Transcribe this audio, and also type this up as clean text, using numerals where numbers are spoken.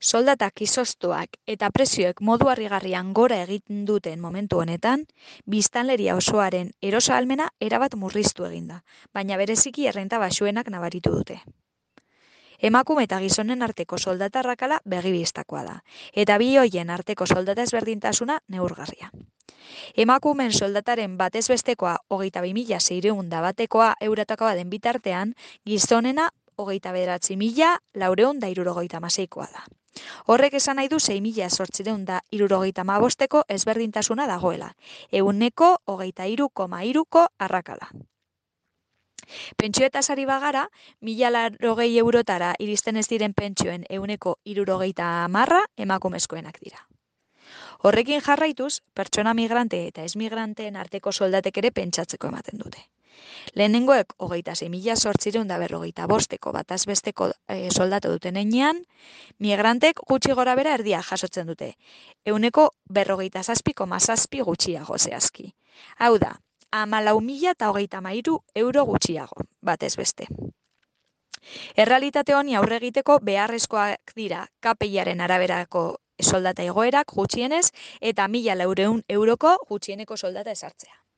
Soldatak izoztuak eta prezioek modu harrigarrian gora egiten duten momentu honetan, biztanleria osoaren erosahalmena erabat murriztu egin da, baina bereziki errenta baxuenak nabaritu dute. Emakume eta gizonen arteko soldata arrakala begi-bistakoa da, eta bi hoien arteko soldata ezberdintasuna neurgarria. Emakumeen soldataren batez bestekoa 22.600 batekoa eurotakoa den bitartean, gizonena 29.476koa da. Horrek esan nahi du 6.875 ezberdintasuna dagoela, 23,3ko arrakala. Pentsioetaz ari bagara, 1.080 eurotara iristen ez diren pentsioen 70% emakumezkoenak dira. Horrekin jarraituz, pertsona migrante eta ez-migranteen arteko soldatek ere pentsatzeko ematen dute. Lehenengoek 26.845ko bataz besteko soldata duten heinean, migrantek gutxi gora bera erdia jasotzen dute, 47,7 gutxiago zehazki. Hau da, 14.033 euro gutxiago, batez beste. Errealitate honi aurre egiteko beharrezkoak dira KPI-aren araberako soldata igoerak gutxienez eta 1.400 euroko gutxieneko soldata ezartzea.